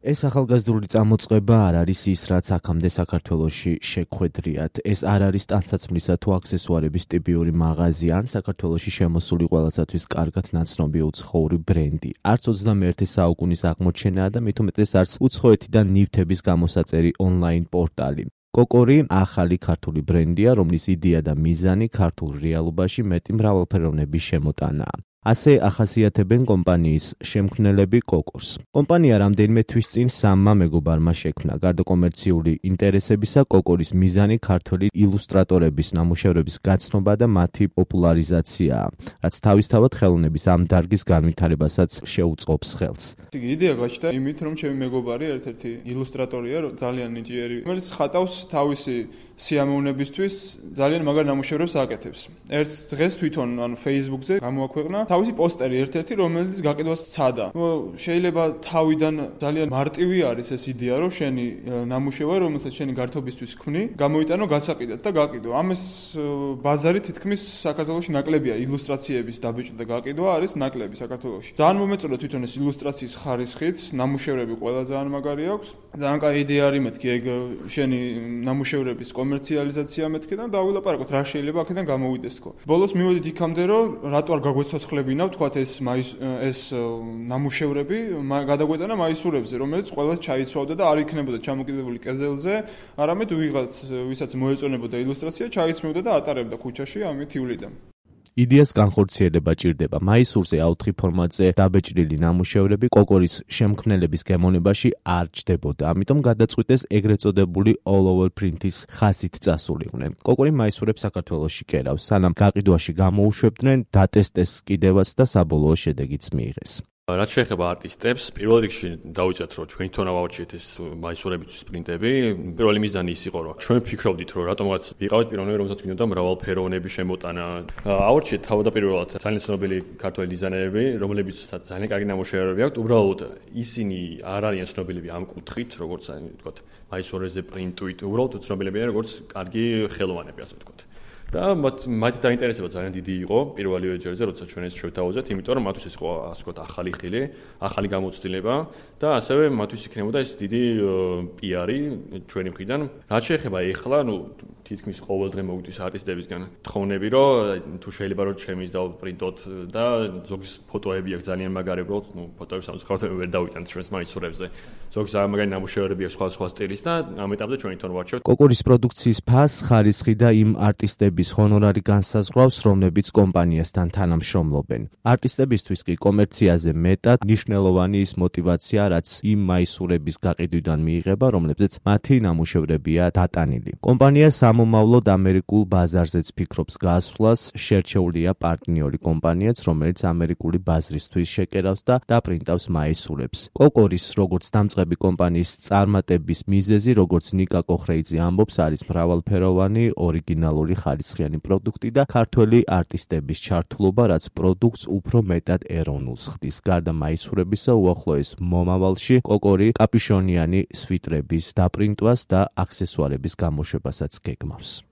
ეს ახალგაზრდული წამოწყება არ არის ის, რაც აქამდე საქართველოში შეგვხედრიათ. ეს არ არის ტანსაცმლისა თუ აქსესუარების ტიპიური მაღაზია ან საქართველოში შემოსული ყველასათვის კარგად ნაცნობი უცხოური ბრენდი. არც 21 საუკუნის აღმოჩენაა და მით უმეტეს არც უცხოეთიდან ნივთების გამოსაწერი ონლაინ პორტალი. კოკორი ახალი ქართული ბრენდია, რომლის იდეა და მიზანი ქართულ რეალობაში მეტი მრავალფეროვნების შემოტანაა. ასე ახასიათებენ კომპანიის შემქმნელები კოკორს. კომპანია რამდენიმე თვის წინ სამმა მეგობარმა შექმნა. გარდა კომერციული ინტერესებისა, კოკორის მიზანი ქართველი ილუსტრატორების ნამუშევრების გაცნობა და მათი პოპულარიზაციაა, რაც თავისთავად ხელოვნების ამ დარგის განვითარებასაც შეუწყობს ხელს. იდეა გაჩნდა იმით, რომ ჩემი მეგობარი ერთ-ერთი ილუსტრატორია, ძალიან ნიჭიერი, რომელიც ხატავს თავისი სიამოვნებისთვის ძალიან მაგარ ნამუშევრებს აკეთებს. ერთ დღეს თვითონ Facebook-ზე გამოაქვეყნა თავისი პოსტერი ერთ-ერთი, რომელიც გაყიდვას სცადა. შეიძლება თავიდან ძალიან მარტივი არის ეს იდეა, რომ შენი ნამუშევარი, რომელსაც შენი გართობისთვის ქმნი, გამოიტანო გასაყიდად და გაყიდო. ამას ბაზარი თითქმის საქართველოში ნაკლებია, ილუსტრაციების დაბეჭდა და გაყიდვა არის ნაკლები საქართველოში. ძალიან მომეწონა თვითონ ეს ილუსტრაციის ხარისხიც, ნამუშევრები ყველა ძალიან მაგარი აქვს. ძალიან კაი იდეა არის მეთქი, ეგ შენი ნამუშევრების კომერციალიზაცია მეთქი და დავილაპარაკოთ რა შეიძლება აქედან გამოვიდეს თქო. ბოლოს მივედით იქამდე, რომ რატო არ გაგვეცოცხლებინა ვთქვათ ეს ნამუშევრები გადაგვეტანა მაისურებზე, რომელიც ყველას ჩაიცვავდა და არ იქნებოდა ჩამოკიდებული კედელზე, არამედ ვიღაც, ვისაც მოეწონებოდა ილუსტრაცია, ჩაიცმევდა და ატარებდა ქუჩაში ამით ივლიდან. იდეას განხორციელება ჭირდება. მაისურზე A4 ფორმატზე დაბეჭდილი ნამუშევრები კოკორის შემქმნელების გემოვნებაში არ ჯდებოდა. ამიტომ გადაწყვიტეს ეგრეთ წოდებული all over print-ის ხაზით წასულიყვნენ. კოკორი მაისურებს საქართველოში კერავს, სანამ გაყიდვაში გამოუშვებდნენ, დატესტეს კიდევაც და საბოლოო შედეგიც მიიღეს. რაც შეეხება არტისტებს, პირველ რიგში დავიწყეთ, რომ ჩვენ თვითონ ავაუჩიეთ ეს მაისურებისთვის პრინტები. პირველი მიზანი ის იყო, რომ ჩვენ ფიქრობდით, რომ რატომღაც ვიყავით პიროვნები, რომელსაც გვინდოდა მრავალფეროვნების შემოტანა. ავაუჩიეთ თავდაპირველად ძალიან ცნობილი ქართველი დიზაინერები, რომლებიცაც ძალიან კარგი ნამუშევრები აქვთ. უბრალოდ ისინი არ არიან ცნობილები ამ კუთხით, როგორც ვთქვათ, მაისურებზე პრინტით. უბრალოდ ცნობილები არიან როგორც კარგი ხელოვანები, ასე ვთქვათ. და მათი დაინტერესება ძალიან დიდი იყო პირველივე ჯერზე, როცა ჩვენ ეს შევთავაზეთ, იმიტომ რომ მათთვის ეს იყო ასე ვთქვათ ახალი ხილი, ახალი გამოცდილება და ასევე მათთვის იქნებოდა ეს დიდი პიარი ჩვენი მხრიდან. რაც შეეხება ეხლა, თითქმის ყოველდღე მოვიდეს არტისტებისგან თხოვნები, რომ თუ შეიძლება რომ ჩემის დავპრინტოთ და ზოგის ფოტოები აქვს ძალიან მაგარი, უბრალოდ ფოტოებს ამსხავთ ვერ დავიტანთ ჩვენს მაისურებზე. ზოგს ძალიან მაგარი ნამუშევრები აქვს სხვადასხვა სტილის და ამ ეტაპზე ჩვენ თვითონ ვარჩევთ. კოკორის პროდუქციის ფასს, ხარისხი და იმ არტისტების ჰონორარი განსაზღვრავს, რომლებიც კომპანიასთან თანამშრომლობენ. არტისტებისთვის კი კომერციაზე მეტად მნიშვნელოვანი ის მოტივაცია, რაც იმ მაისურების გაყიდვიდან მიიღება, რომლებზეც მათი ნამუშევრებია დატანილი. კომპანია სამომავლოდ ამერიკულ ბაზარზეც ფიქრობს გასვლას, შერჩეულია პარტნიორი კომპანიაც, რომელიც ამერიკული ბაზრისთვის შეკერავს და დაპრინტავს მაისურებს. კოკორის, როგორც დამწყები კომპანიის წარმატების მიზეზი, როგორც ნიკა კოხრეიძე ამბობს, არის მრავალფეროვანი, ორიგინალური ხარისხიანი პროდუქტი და ქართველი არტისტების ჩართულობა, რაც პროდუქტს უფრო მეტად ეროვნულს ხდის. გარდა მაისურებისა, უახლოეს მომავალში კოკორი კაპიშონიანი სვიტრების დაპრინტვას და აქსესუარების გამოშვებასაც გეგმავს.